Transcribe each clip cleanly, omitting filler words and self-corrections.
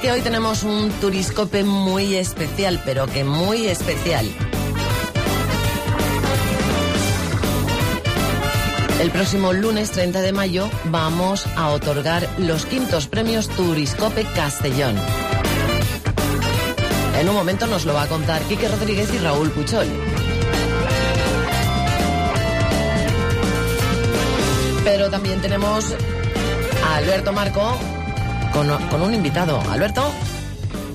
que hoy tenemos un Turiscope muy especial, pero que muy especial. El próximo lunes 30 de mayo vamos a otorgar los 5º premios Turiscope Castellón. En un momento nos lo va a contar Quique Rodríguez y Raúl Puchol. Pero también tenemos a Alberto Marco con un invitado. Alberto.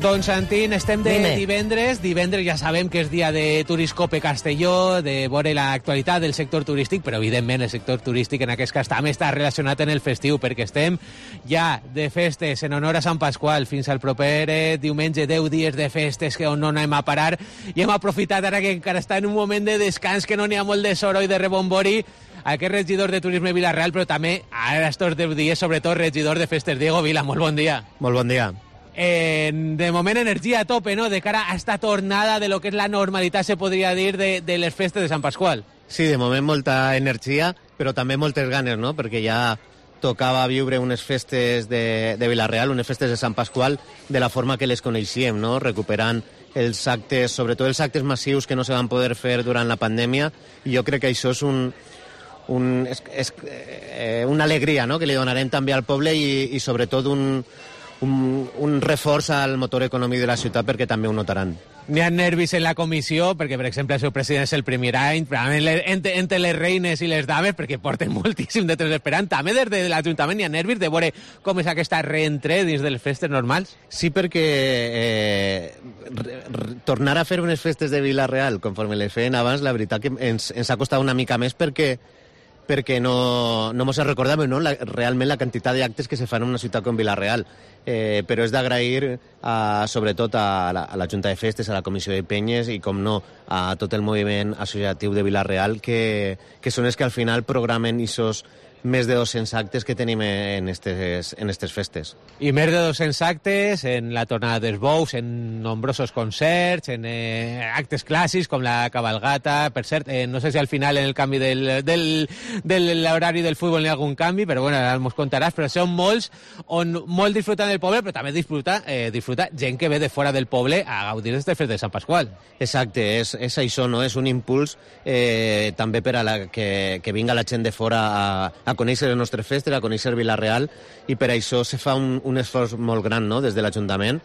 Don Santín, estem de divendres. Divendres ja sabem que és dia de Turiscope Castelló, de veure l'actualitat del sector turístic, però evidentment el sector turístic en aquest cas també està relacionat en el festiu, perquè estem ja de festes en honor a Sant Pasqual fins al proper diumenge, 10 dies de festes que on no anem a parar, i hem aprofitat ara que encara està en un moment de descans, que no n'hi ha molt de soro i de rebombori, aquest regidor de Turisme Vila-real, però també ara estos 10 dies, sobretot regidor de festes. Diego Vila, molt bon dia. Molt bon dia. De moment energia a tope, no?, de cara a esta tornada de lo que és la normalitat, se podria dir, de les festes de Sant Pasqual. Sí, de moment molta energia, però també moltes ganes, no?, perquè ja tocava viure unes festes de Vila-real, unes festes de Sant Pasqual, de la forma que les coneixíem, no?, recuperant els actes, sobretot els actes massius que no se van poder fer durant la pandèmia, i jo crec que això és una alegria, no?, que li donarem també al poble i sobretot un reforç al motor econòmic de la ciutat, perquè també ho notaran. N'hi ha nervis en la comissió, perquè, per exemple, el seu president és el primer any, entre les reines i les dames, perquè porten moltíssim de temps esperant. També des de l'Ajuntament hi ha nervis de veure com és aquesta reentré dins de les festes normals? Sí, perquè tornar a fer unes festes de Vila-real, conforme les feien abans, la veritat que ens ha costat una mica més, perquè no mos recordàvem, no?, realment la quantitat d'actes que se fan en una ciutat com Vila-real. Però és d'agrair sobretot a la Junta de Festes, a la Comissió de Penyes i, com no, a tot el moviment associatiu de Vila-real, que són els que al final programen aquests més de 200 actes que tenim en estes festes. I més de 200 actes en la tornada dels bous, en nombrosos concerts, en actes clàssics com la cabalgata. Per cert, no sé si al final en el canvi de l'horari del futbol hi ha algun canvi, però bueno, ara mos contaràs, però són molts on molt disfruten del poble, però també disfruta gent que ve de fora del poble a gaudir d'aquestes festes de Sant Pasqual. Exacte, és això, no? És un impuls també per a que vinga la gent de fora a conèixer les nostres festes, a conèixer Vila-real, i per això se fa un esforç molt gran, no?, des de l'Ajuntament,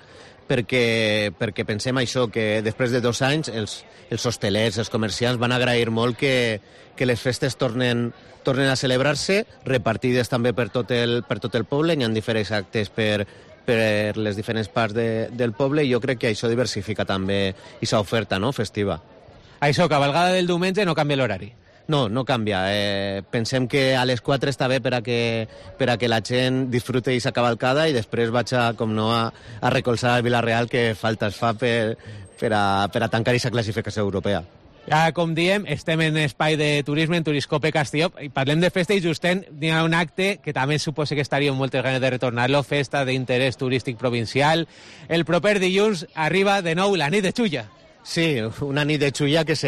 perquè pensem això, que després de 2 anys els hostelers, els comerciants van agrair molt que les festes tornen a celebrar-se, repartides també per tot el poble. Hi ha diferents actes per les diferents parts del poble, i jo crec que això diversifica també aquesta oferta, no?, festiva. Això, cabalgada del diumenge, no canvia l'horari? No canvia. Pensem que a les 4 està bé per a que la gent disfrute aquesta cavalcada, i després vaig a recolzar el Vila-real, que falta es fa per a tancar aquesta classificació europea. Ja, com diem, estem en espai de turisme, en Turiscope Castelló, i parlem de festa, i justent hi ha un acte que també suposa que estaria moltes ganes de retornar-lo, festa d'interès turístic provincial. El proper dilluns arriba de nou la nit de Xulla. Sí, una nit de Xulla que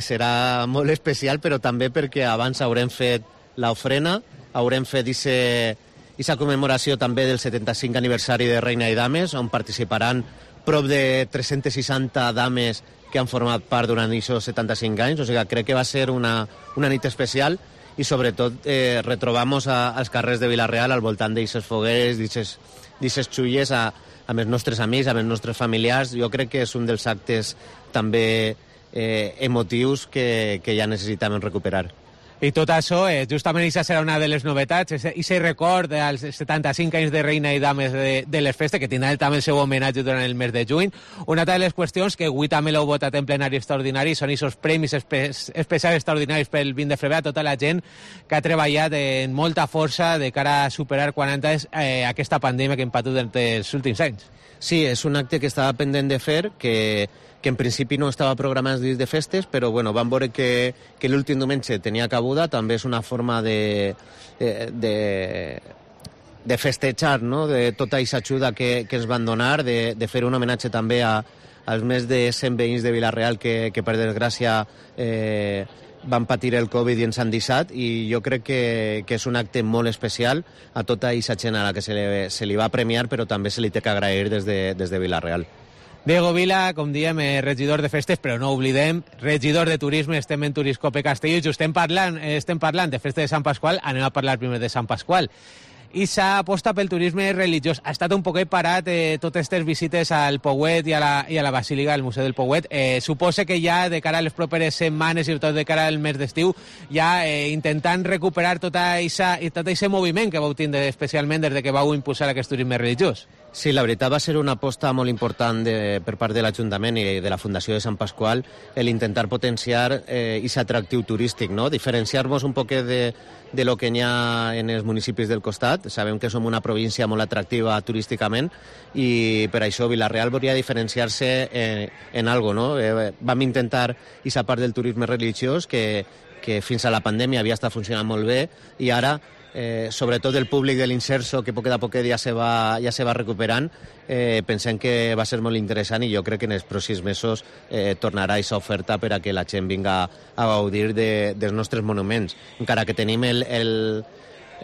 serà molt especial, però també perquè abans haurem fet l'ofrena, haurem fet aquesta commemoració també del 75 aniversari de Reina i Dames, on participaran prop de 360 dames que han format part durant aquests 75 anys, o sigui, crec que va ser una nit especial, i sobretot retrobamos als carrers de Vila-real al voltant d'aquestes fogueres, d'aquestes xulles, amb els nostres amics, amb els nostres familiars. Jo crec que és un dels actes també emotius que ja necessitàvem recuperar. I tot això, justament això serà una de les novetats, aquest record dels 75 anys de Reina i Dames de les festes, que tindrà també el seu homenatge durant el mes de juny. Una altra de les qüestions que avui també l'heu votat en plenari extraordinari són aquests premis especials extraordinaris pel 20 de febrer a tota la gent que ha treballat amb molta força de cara a superar 40 anys aquesta pandèmia que hem patit durant els últims anys. Sí, és un acte que estava pendent de fer, que en principi no estava programat dins de festes, però bueno, vam veure que l'últim diumenge tenia cabuda. També és una forma de festejar, no?, de tota aquesta ajuda que ens van donar, de fer un homenatge també als més de 100 veïns de Vila-real que per desgràcia van patir el Covid i ens han deixat, i jo crec que és un acte molt especial a tota aquesta gent a la que se li va premiar, però també se li té que agrair des de Vila-real. Diego Vila, com diem, regidor de festes, però no oblidem, regidor de turisme, estem en Turiscope Castelló i estem parlant de festa de Sant Pasqual, anem a parlar primer de Sant Pasqual. I s'ha apostat pel turisme religiós. Ha estat un poquet parat totes aquestes visites al Pouet i a la Basílica, al Museu del Pouet. Suposa que ja de cara a les properes setmanes i tot de cara al mes d'estiu, ja intentant recuperar tot aquest moviment que vau tindre especialment des que vau impulsar aquest turisme religiós. Sí, la veritat va ser una aposta molt important per part de l'Ajuntament i de la Fundació de Sant Pasqual l'intentar potenciar aquest atractiu turístic, no? Diferenciar-nos un poquet de lo que n'hi ha en els municipis del costat. Sabem que som una província molt atractiva turísticament i per això Vila-real volia diferenciar-se en algo, no? Vam intentar aquesta part del turisme religiós que fins a la pandèmia havia estat funcionant molt bé i ara sobretot el públic de l'Inserso, que poquet a poquet ja se va recuperant, pensem que va ser molt interessant i jo crec que en els pròxims mesos tornarà aquesta oferta per a que la gent vinga a gaudir dels nostres monuments. Encara que tenim el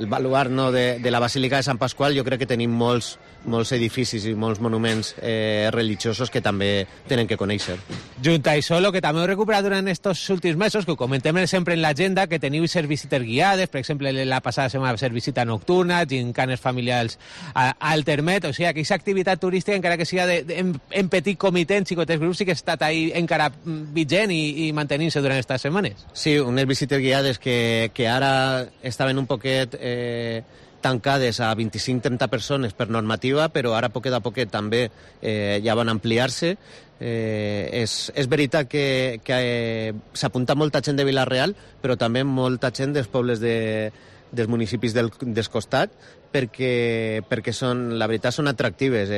baluart, no, de la Basílica de Sant Pasqual, jo crec que tenim molts edificis i molts monuments religiosos que també tenen que conèixer. Junt a això, el que també heu recuperat durant aquests últims mesos, que ho comentem sempre en l'agenda, que teniu ser visites guiades, per exemple, la passada setmana va ser visita nocturna, gincanes familiars al Termet, o sigui, aquesta activitat turística, encara que sigui en petit comitè, en xicotets grups, sí que ha estat ahí encara vigent i mantenint-se durant aquestes setmanes. Sí, unes visites guiades que ara estaven un poquet tancades a 25-30 persones per normativa, però ara poquet a poquet també ja van ampliar-se. És veritat que s'apunta molta gent de Vila-real, però també molta gent dels pobles dels municipis del costat, perquè la veritat són atractives.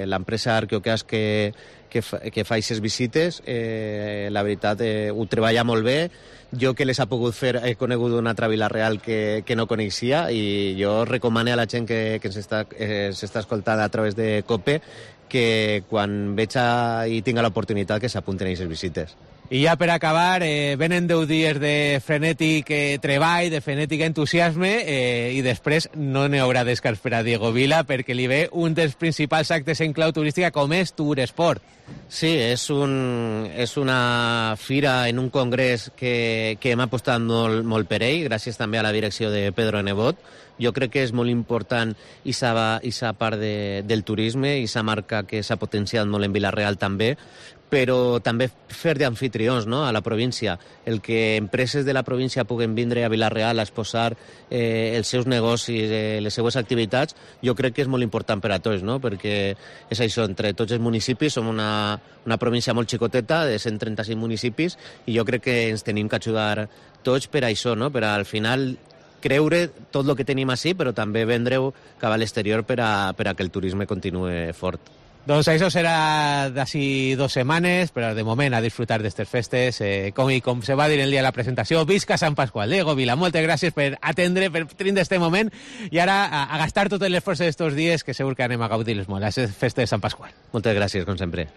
L'empresa Arqueocas que fa aquestes visites, la veritat ho treballa molt bé. Jo que les ha pogut fer he conegut una altra Vila-real que no coneixia i jo recomano a la gent que s'està escoltant a través de COPE que quan veig i tinga l'oportunitat que s'apunten a aquestes visites. I ja per acabar, venen 10 dies de frenètic treball, de frenètic entusiasme, i després no n'hi haurà descans per a Diego Vila, perquè li ve un dels principals actes en clau turística com és Touresport. Sí, és una fira en un congrés que hem apostat molt per ell, gràcies també a la direcció de Pedro Nebot. Jo crec que és molt important aquesta part del turisme, aquesta marca que s'ha potenciat molt en Vila-real també, però també fer d'anfitrions, no?, a la província. El que empreses de la província puguen vindre a Vila-real a exposar els seus negocis, les seues activitats, jo crec que és molt important per a tots, no?, perquè és això, entre tots els municipis som una província molt xicoteta, de 135 municipis, i jo crec que ens tenim que ajudar tots per a això, no?, per al final creure tot el que tenim així, però també vendre-ho cap a l'exterior per a que el turisme continuï fort. Doncs això serà d'ací 2 setmanes, però de moment a disfrutar d'aquestes festes. Com se va dir el dia de la presentació, visca Sant Pasqual. Diego Vila, moltes gràcies per atendre, per tindre aquest moment, i ara a gastar tot l'esforç d'estos dies, que segur que anem a gaudir-les molt, les festes de Sant Pasqual. Moltes gràcies, com sempre.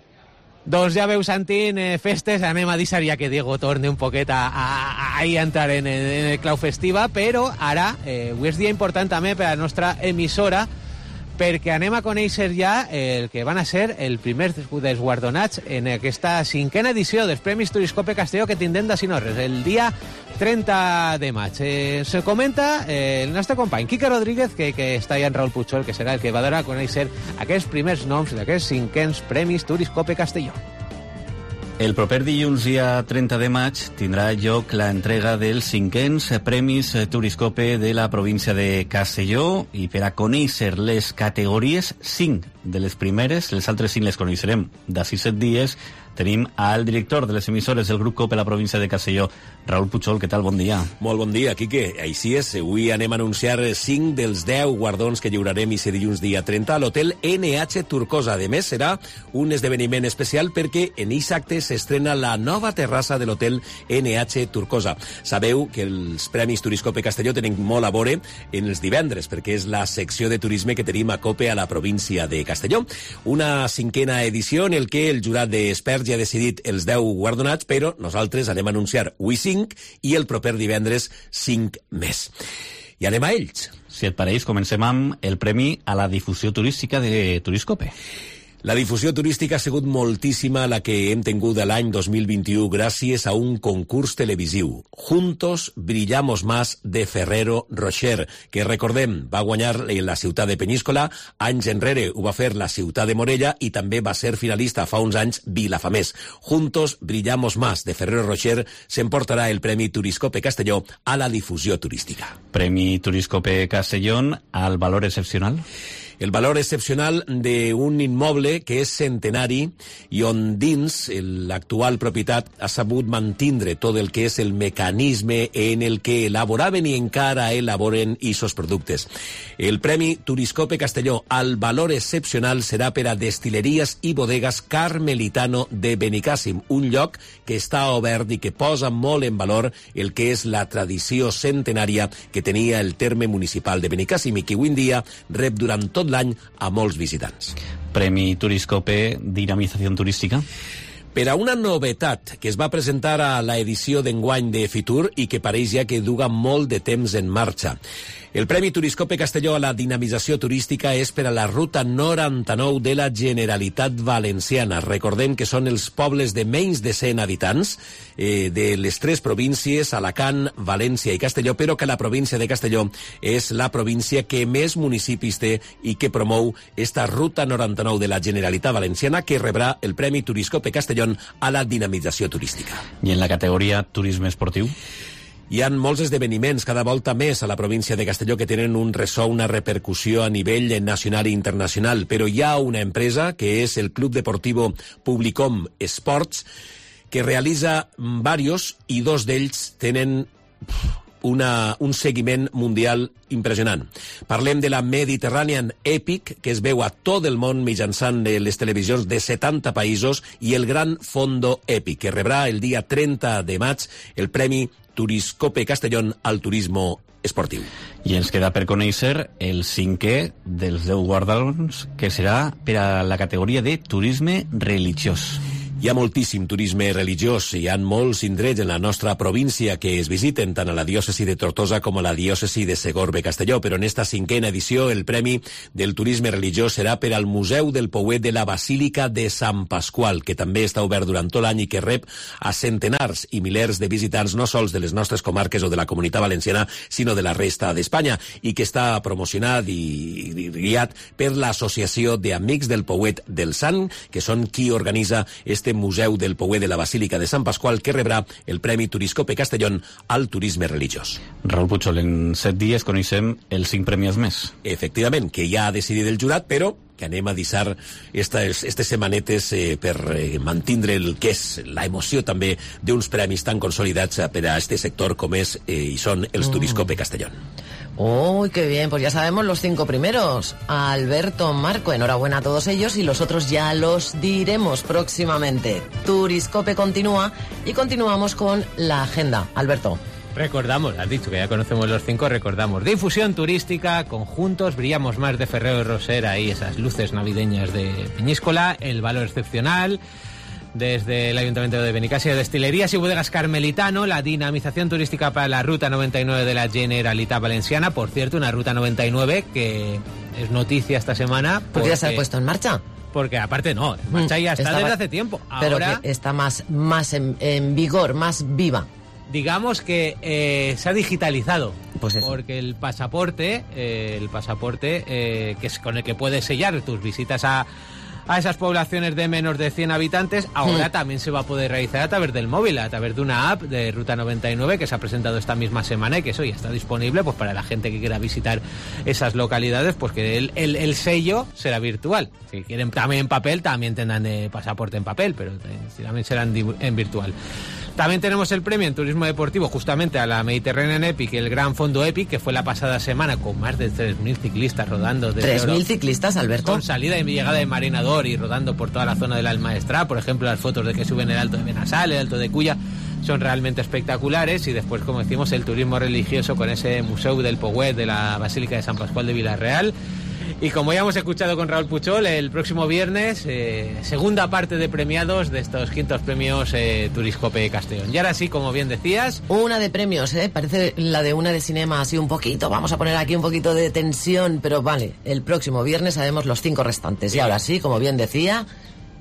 Doncs ja veu, Santín, festes, anem a deixar ja que Diego torni un poquet a entrar en el clau festiva, però ara avui és dia important també per a la nostra emissora, perquè anem a conèixer ja el que van a ser el primer dels guardonats en aquesta 5a edició dels Premis Turiscope Castelló que tindrem d'ací no res, el dia 30 de maig. Se comenta el nostre company Quique Rodríguez, que està allà en Raül Puigol, que serà el que va donar a conèixer aquests primers noms d'aquests 5ens Premis Turiscope Castelló. El proper dilluns, dia 30 de maig, tindrà lloc la entrega dels 5ens Premis Turiscope de la província de Castelló, i per a conèixer les categories, 5 de les primeres, les altres 5 les coneixerem d'ací 7 dies, tenim al director de les emissores del grup COPE a la província de Castelló, Raül Puigol. Què tal? Bon dia. Molt bon dia, Quique. Així és, avui anem a anunciar 5 dels 10 guardons que lliurarem aquest dilluns dia 30 a l'hotel NH Turcosa. A més, serà un esdeveniment especial perquè en aquest acte s'estrena la nova terrassa de l'hotel NH Turcosa. Sabeu que els Premis Turiscope Castelló tenen molt a veure en els divendres, perquè és la secció de turisme que tenim a COPE a la província de Castelló. Una 5a edició en el que el jurat d'experts ja ha decidit els 10 guardonats, però nosaltres anem a anunciar avui 5 i el proper divendres 5 més. I anem a ells. Si et pareix, comencem amb el premi a la difusió turística de Turiscope. La difusió turística ha sigut moltíssima la que hem tingut l'any 2021 gràcies a un concurs televisiu. Juntos brillamos más de Ferrero Rocher, que recordem, va guanyar la ciutat de Peníscola, anys enrere ho va fer la ciutat de Morella i també va ser finalista fa uns anys Vilafamés. Juntos brillamos más de Ferrero Rocher s'emportarà el Premi Turiscope Castelló a la difusió turística. Premi Turiscope Castellón al valor excepcional. El valor excepcional d'un immoble que és centenari i on dins l'actual propietat ha sabut mantindre tot el que és el mecanisme en el que elaboraven i encara elaboren aquests productes. El Premi Turiscope Castelló al valor excepcional serà per a Destileries i Bodegas Carmelitano de Benicàssim, un lloc que està obert i que posa molt en valor el que és la tradició centenària que tenia el terme municipal de Benicàssim i que avui en dia rep durant tot l'any a molts visitants. Premi Turiscope Dinamització Turística. Per a una novetat que es va presentar a l'edició d'enguany de Fitur i que pareix ja que duga molt de temps en marxa. El Premi Turiscope Castelló a la dinamització turística és per a la Ruta 99 de la Generalitat Valenciana. Recordem que són els pobles de menys de 100 habitants de les 3 províncies, Alacant, València i Castelló, però que la província de Castelló és la província que més municipis té i que promou esta Ruta 99 de la Generalitat Valenciana, que rebrà el Premi Turiscope Castelló a la dinamització turística. I en la categoria turisme esportiu? Hi ha molts esdeveniments cada volta més a la província de Castelló que tenen un ressò, una repercussió a nivell nacional i internacional, però hi ha una empresa que és el Club Deportivo Publicom Sports que realitza diversos i 2 d'ells tenen un seguiment mundial impressionant. Parlem de la Mediterranean Epic, que es veu a tot el món mitjançant les televisions de 70 països, i el Gran Fondo Epic, que rebrà el dia 30 de maig el Premi Turiscope Castellón al turismo esportiu. I ens queda per conèixer el 5è dels 10 guardons, que serà per a la categoria de turisme religiós. Hi ha moltíssim turisme religiós, hi ha molts indrets en la nostra província que es visiten tant a la diòcesi de Tortosa com a la diòcesi de Segorbe-Castelló, però en esta 5a edició el Premi del Turisme Religiós serà per al Museu del Pouet de la Basílica de Sant Pasqual, que també està obert durant tot l'any i que rep a centenars i milers de visitants no sols de les nostres comarques o de la Comunitat Valenciana, sinó de la resta d'Espanya, i que està promocionat i guiat per l'Associació d'Amics del Pouet del Sant, que són qui organitza este Museu del Pouet de la Basílica de Sant Pasqual, que rebrà el Premi Turiscope Castellón al turisme religiós. Raül Puchol, en 7 dies coneixem els 5 premis més. Efectivament, que ja ha decidit el jurat, però que anem a deixar estes setmanetes per mantindre el que és la emoció també d'uns premis tan consolidats per a este sector com és i són els Turiscope Castellón. ¡Uy, qué bien! Pues ya sabemos los 5 primeros. Alberto, Marco, enhorabuena a todos ellos y los otros ya los diremos próximamente. Turiscope continúa y continuamos con la agenda. Alberto. Recordamos, has dicho que ya conocemos los 5, recordamos. Difusión turística, conjuntos, brillamos más de Ferrero Rocher, ahí esas luces navideñas de Peñíscola, el valor excepcional. Desde el Ayuntamiento de Benicàssim, Destilerías y Bodegas Carmelitano, la dinamización turística para la Ruta 99 de la Generalitat Valenciana. Por cierto, una Ruta 99 que es noticia esta semana. Porque ya se ha puesto en marcha. Porque aparte no, en marcha ya está desde hace tiempo. Pero ahora que está más en vigor, más viva. Digamos que se ha digitalizado. Pues eso. Porque el pasaporte que es con el que puedes sellar tus visitas a esas poblaciones de menos de 100 habitantes, ahora también se va a poder realizar a través del móvil, a través de una app de Ruta 99 que se ha presentado esta misma semana y que eso ya está disponible pues para la gente que quiera visitar esas localidades, pues que el sello será virtual. Si quieren también en papel, también tendrán de pasaporte en papel, pero también serán en virtual. También tenemos el premio en turismo deportivo justamente a la Mediterranean Epic, el Gran Fondo Epic, que fue la pasada semana con más de 3.000 ciclistas rodando. ¿3.000 ciclistas, Alberto? Con salida y llegada de Marinador y rodando por toda la zona del Almaestrat. Por ejemplo, las fotos de que suben el Alto de Benassal, el Alto de Culla, son realmente espectaculares. Y después, como decimos, el turismo religioso con ese Museu del Pouet de la Basílica de Sant Pasqual de Vila-real. Y como ya hemos escuchado con Raúl Puchol, el próximo viernes, segunda parte de premiados de estos 500 premios Turiscope Castellón. Y ahora sí, como bien decías... Una de premios, parece la de una de cinema, así un poquito. Vamos a poner aquí un poquito de tensión, pero vale, el próximo viernes sabemos los 5 restantes. Sí. Y ahora sí, como bien decía,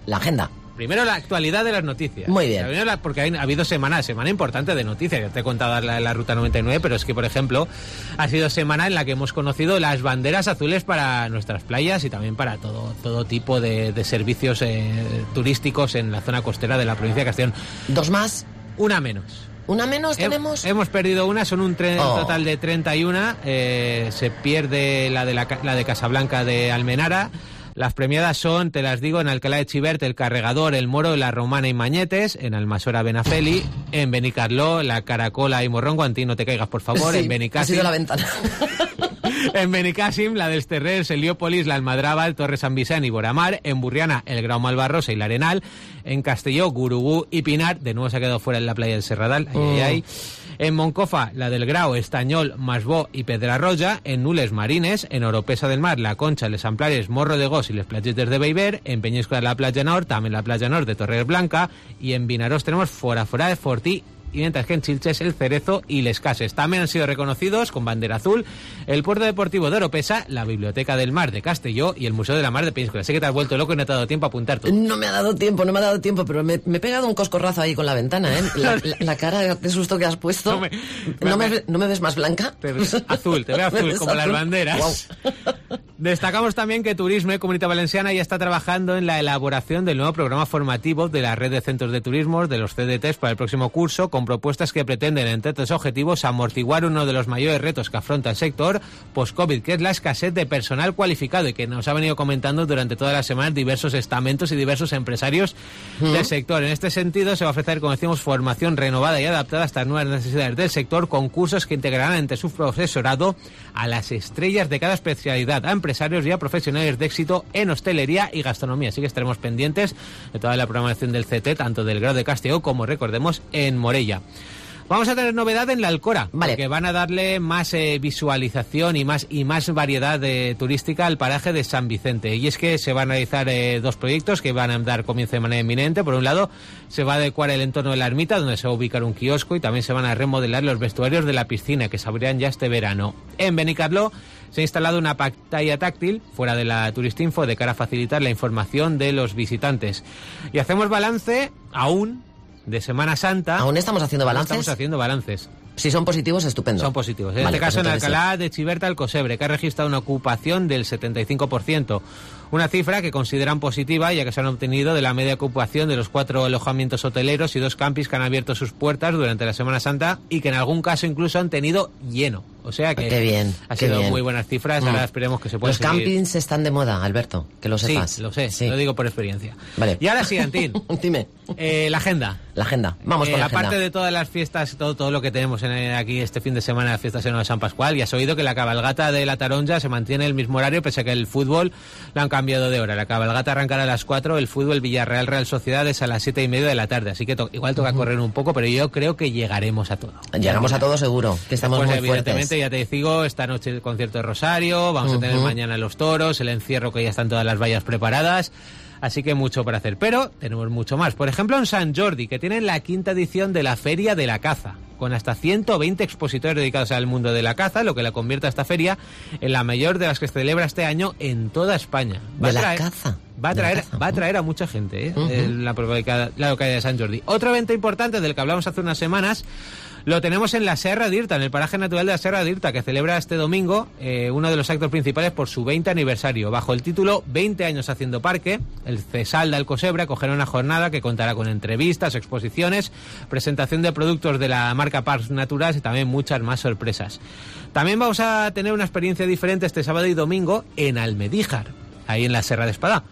la agenda. Primero la actualidad de las noticias. Muy bien. Porque ha habido semana importante de noticias. Ya te he contado la Ruta 99, pero es que, por ejemplo, ha sido semana en la que hemos conocido las banderas azules para nuestras playas y también para todo tipo de servicios turísticos en la zona costera de la provincia de Castellón. 2 más. Una menos. ¿Una menos tenemos? Hemos perdido una, son un total de 31. Se pierde la de Casablanca de Almenara. Las premiadas son, te las digo, en Alcalá de Xivert, El Carregador, El Moro, La Romana y Mañetes, en Almasora, Benafeli, en Benicarló, La Caracola y Morrongo, Antí, no te caigas, por favor, sí, en Benicàssim. Ha sido la ventana. En Benicàssim, la dels Terrers, Heliópolis, la Almadraba, Torre San Vicent y Boramar, en Burriana, el Grau Malvarrosa y la Arenal, en Castelló, Gurugú y Pinar, de nuevo se ha quedado fuera en la playa del Serradal, ahí. En Moncofa, la del Grau, Estañol, Masbó y Pedrarroja, en Nules Marines, en Oropesa del Mar, La Concha, Les Amplares, Morro de Gos y Les Playetes de Beiber, en Peñíscola la Playa Nord, también la Playa Nord de Torre Blanca, y en Vinarós tenemos Fora de Fortí, y mientras que en Chilches, El Cerezo y Les Cases. También han sido reconocidos con bandera azul el Puerto Deportivo de Oropesa, la Biblioteca del Mar de Castelló y el Museo de la Mar de Peñíscola. Sé que te has vuelto loco y no te ha dado tiempo a apuntar todo. No me ha dado tiempo, pero me he pegado un coscorrazo ahí con la ventana, ¿eh? La cara de susto que has puesto. ¿No me ves más blanca? Te veo azul como las banderas. Wow. Destacamos también que Turisme, Comunitat Valenciana, ya está trabajando en la elaboración del nuevo programa formativo de la red de centros de turismo, de los CDTs, para el próximo curso, con propuestas que pretenden, entre otros objetivos, amortiguar uno de los mayores retos que afronta el sector post-COVID, que es la escasez de personal cualificado y que nos ha venido comentando durante todas las semanas diversos estamentos y diversos empresarios del sector. En este sentido, se va a ofrecer, como decimos, formación renovada y adaptada a estas nuevas necesidades del sector, con cursos que integrarán entre su profesorado a las estrellas de cada especialidad, a empresarios y a profesionales de éxito en hostelería y gastronomía. Así que estaremos pendientes de toda la programación del CT, tanto del Grau de Castelló como, recordemos, en Morella. Vamos a tener novedad en la Alcora, vale, porque van a darle más visualización y más variedad turística al paraje de San Vicente. Y es que se van a realizar 2 proyectos que van a dar comienzo de manera inminente. Por un lado, se va a adecuar el entorno de la ermita, donde se va a ubicar un kiosco, y también se van a remodelar los vestuarios de la piscina, que se abrirán ya este verano. En Benicarló se ha instalado una pantalla táctil fuera de la Turistinfo de cara a facilitar la información de los visitantes. Y hacemos balance aún de Semana Santa. ¿Aún estamos haciendo balances? Estamos haciendo balances. Si son positivos, estupendo. Son positivos. En este caso, en Alcalá de Xivert, Alcosebre, que ha registrado una ocupación del 75%. Una cifra que consideran positiva, ya que se han obtenido de la media ocupación de los 4 alojamientos hoteleros y 2 campings que han abierto sus puertas durante la Semana Santa y que en algún caso incluso han tenido lleno. O sea que qué bien, ha sido muy buenas cifras. Ahora esperemos que se pueda seguir. Los campings están de moda, Alberto, que lo sepas. Sí, lo sé, sí. Lo digo por experiencia. Vale. Y ahora sí, Antín. Dime. La agenda. La agenda. Vamos con la agenda. Aparte de todas las fiestas, todo lo que tenemos aquí este fin de semana, las fiestas en San Pascual, ya has oído que la cabalgata de la Taronja se mantiene el mismo horario, pese a que el fútbol lo han cambiado de hora. La cabalgata arrancará a las 4, el fútbol Villarreal Real Sociedad es a las 7:30 de la tarde, así que igual toca correr un poco, pero yo creo que llegaremos a todo. Llegamos a todo seguro, que estamos muy evidentemente, fuertes. Ya te digo, esta noche el concierto de Rosario, vamos a tener mañana los toros, el encierro, que ya están todas las vallas preparadas. Así que mucho para hacer. Pero tenemos mucho más. Por ejemplo, en Sant Jordi, que tienen la 5ª edición de la Feria de la Caza, con hasta 120 expositores dedicados al mundo de la caza, lo que la convierte a esta feria en la mayor de las que se celebra este año en toda España. Va a traer a mucha gente, la localidad de Sant Jordi. Otro evento importante del que hablamos hace unas semanas lo tenemos en la Serra d'Irta, en el paraje natural de la Serra d'Irta, que celebra este domingo uno de los actos principales por su 20 aniversario. Bajo el título 20 años haciendo parque, el CESAL de Alcosebre acogerá una jornada que contará con entrevistas, exposiciones, presentación de productos de la marca Parcs Naturals y también muchas más sorpresas. También vamos a tener una experiencia diferente este sábado y domingo en Almedíjar, ahí en la Serra de Espadá.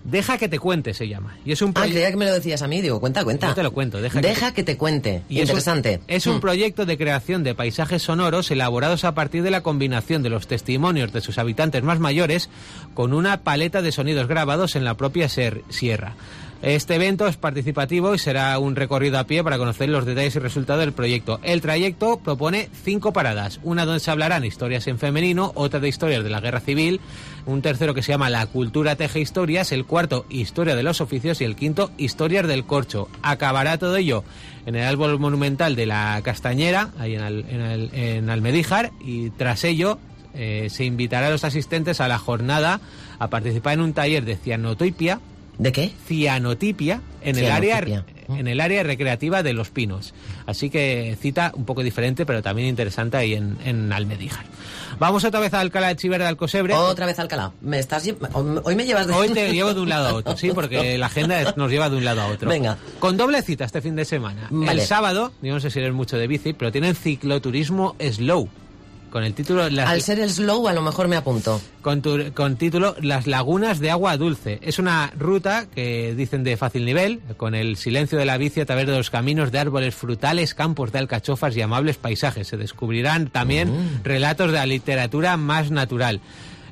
Deja que te cuente, se llama. Y es un creía que me lo decías a mí, digo, cuenta. No te lo cuento, deja que te cuente. Y interesante. Es un proyecto de creación de paisajes sonoros elaborados a partir de la combinación de los testimonios de sus habitantes más mayores con una paleta de sonidos grabados en la propia sierra. Este evento es participativo y será un recorrido a pie para conocer los detalles y resultados del proyecto. El trayecto propone 5 paradas, una donde se hablarán historias en femenino, otra de historias de la guerra civil, un tercero que se llama La cultura teje historias, el cuarto Historia de los oficios y el quinto Historias del corcho. Acabará todo ello en el árbol monumental de la Castañera, ahí en Almedíjar, y tras ello se invitará a los asistentes a la jornada a participar en un taller de cianotipia. ¿De qué? Cianotipia en el área recreativa de Los Pinos. Así que cita un poco diferente, pero también interesante ahí en Almedíjar. Vamos otra vez a Alcalá de Chiver de Alcosebre. Otra vez a Alcalá. Hoy me llevas de... Hoy te llevo de un lado a otro, sí, porque la agenda nos lleva de un lado a otro. Venga. Con doble cita este fin de semana. Vale. El sábado, yo no sé si eres mucho de bici, pero tienen cicloturismo slow. Con el título... Al ser el slow, a lo mejor me apunto. Con título Las lagunas de agua dulce. Es una ruta que dicen de fácil nivel, con el silencio de la bici a través de los caminos de árboles frutales, campos de alcachofas y amables paisajes. Se descubrirán también relatos de la literatura más natural.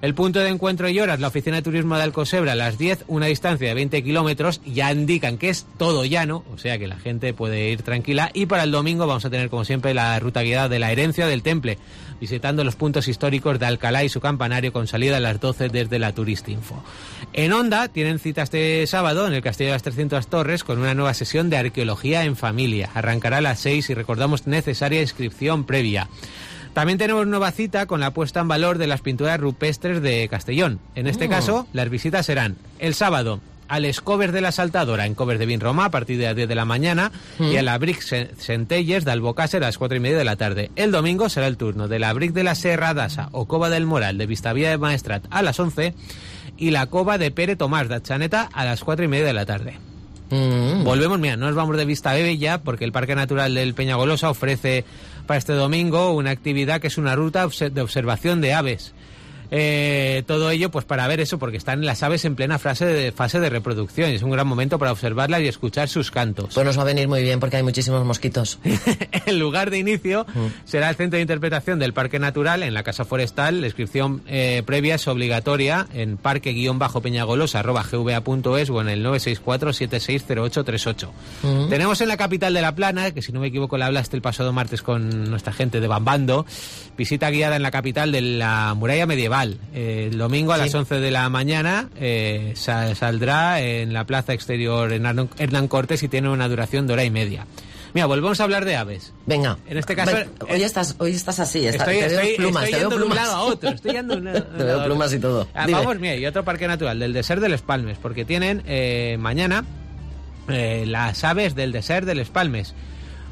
El punto de encuentro y horas, la Oficina de Turismo de Alcosebre a las 10, una distancia de 20 kilómetros, ya indican que es todo llano, o sea que la gente puede ir tranquila. Y para el domingo vamos a tener, como siempre, la ruta guiada de la herencia del Temple, visitando los puntos históricos de Alcalá y su campanario, con salida a las 12 desde la Turistinfo. En Onda tienen cita este sábado en el Castillo de las 300 Torres con una nueva sesión de arqueología en familia. Arrancará a las 6 y recordamos necesaria inscripción previa. También tenemos nueva cita con la puesta en valor de las pinturas rupestres de Castellón. En este caso, las visitas serán el sábado al Escobers de la Saltadora en Covers de Vinromà a partir de las 10 de la mañana y a la Bric Centelles de Albocàsser a las 4:30 de la tarde. El domingo será el turno de la Bric de la Serra d'Assa o Cova del Moral de Vistavía de Maestrat a las 11 y la Cova de Pere Tomàs de Chaneta a las 4:30 de la tarde. Volvemos, mira, no nos vamos de Vistabebe ya, porque el Parque Natural del Peñagolosa ofrece para este domingo una actividad que es una ruta de observación de aves. Todo ello pues para ver eso, porque están las aves en plena fase de reproducción y es un gran momento para observarlas y escuchar sus cantos. Pues nos va a venir muy bien porque hay muchísimos mosquitos. El lugar de inicio será el Centro de Interpretación del Parque Natural en la Casa Forestal. La inscripción previa es obligatoria en parque-peñagolosa@gva.es o en el 964-760838. Tenemos en la capital de La Plana, que si no me equivoco la hablaste el pasado martes con nuestra gente de Bambando, visita guiada en la capital de la muralla medieval. El domingo a las 11 de la mañana saldrá en la plaza exterior en Hernán Cortés y tiene una duración de 1:30. Mira, volvemos a hablar de aves. Venga. En este caso... Hoy estás así. Estoy yendo de un lado a otro. Te veo plumas y todo. Vamos, mira, y otro parque natural, del Desert de Les Palmes, porque tienen mañana las aves del Desert de Les Palmes.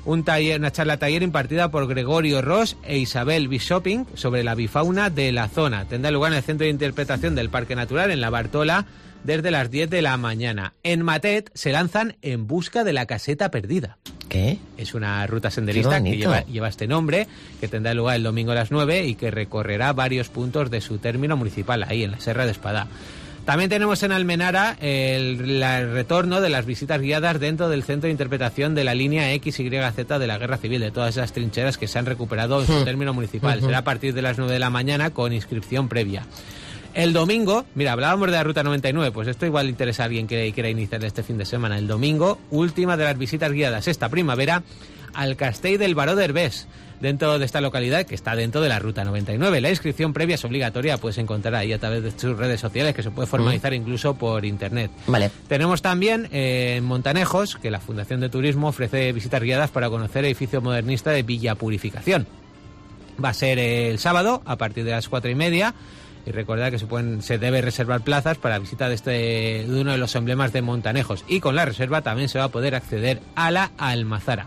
Una charla taller impartida por Gregorio Ross e Isabel Bishoping sobre la bifauna de la zona. Tendrá lugar en el Centro de Interpretación del Parque Natural en La Bartola desde las 10 de la mañana. En Matet se lanzan En busca de la caseta perdida. ¿Qué? Es una ruta senderista que lleva este nombre, que tendrá lugar el domingo a las 9 y que recorrerá varios puntos de su término municipal, ahí en la Serra de Espadá. También tenemos en Almenara el retorno de las visitas guiadas dentro del Centro de Interpretación de la línea XYZ de la Guerra Civil, de todas esas trincheras que se han recuperado en su término municipal. Será a partir de las 9 de la mañana con inscripción previa. El domingo, mira, hablábamos de la Ruta 99, pues esto igual interesa a alguien que quiera iniciar este fin de semana. El domingo, última de las visitas guiadas esta primavera al Castell del Baró d'Herbés, dentro de esta localidad que está dentro de la Ruta 99. La inscripción previa es obligatoria, puedes encontrar ahí a través de sus redes sociales, que se puede formalizar incluso por internet. Vale. Tenemos también en Montanejos, que la Fundación de Turismo ofrece visitas guiadas para conocer el edificio modernista de Villa Purificación. Va a ser el sábado a partir de las 4:30. Y recordad que se debe reservar plazas para visita de uno de los emblemas de Montanejos. Y con la reserva también se va a poder acceder a la Almazara.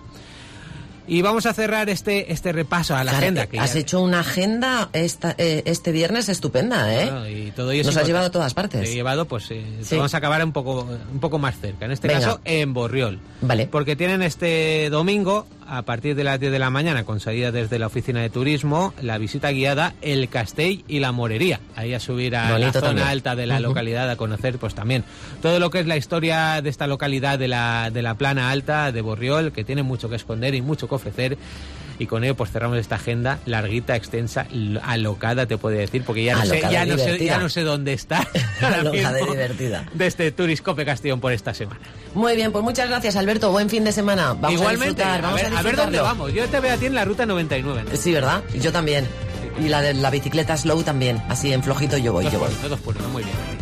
Y vamos a cerrar este repaso a la agenda. Que has hecho una agenda este viernes estupenda, ¿eh? Bueno, y todo ello nos has llevado a todas partes. Te he llevado, pues sí. Vamos a acabar un poco más cerca. En este caso, en Borriol. Vale. Porque tienen este domingo, a partir de las 10 de la mañana, con salida desde la Oficina de Turismo, la visita guiada El Castell y la Morería. Ahí a subir a la zona alta de la localidad, a conocer pues también todo lo que es la historia de esta localidad de la Plana Alta de Borriol, que tiene mucho que esconder y mucho que ofrecer. y con ello pues cerramos esta agenda larguita, extensa, alocada, te puedo decir, porque ya no sé dónde está. Alocada y divertida. De este Turiscope Castellón por esta semana. Muy bien, pues muchas gracias, Alberto. Buen fin de semana. Vamos Igualmente, a ver dónde vamos. Yo te veo a ti en la ruta 99, ¿no? Sí, ¿verdad? Yo también. Y la de la bicicleta slow también. Así en flojito yo voy. Todos puros, muy bien.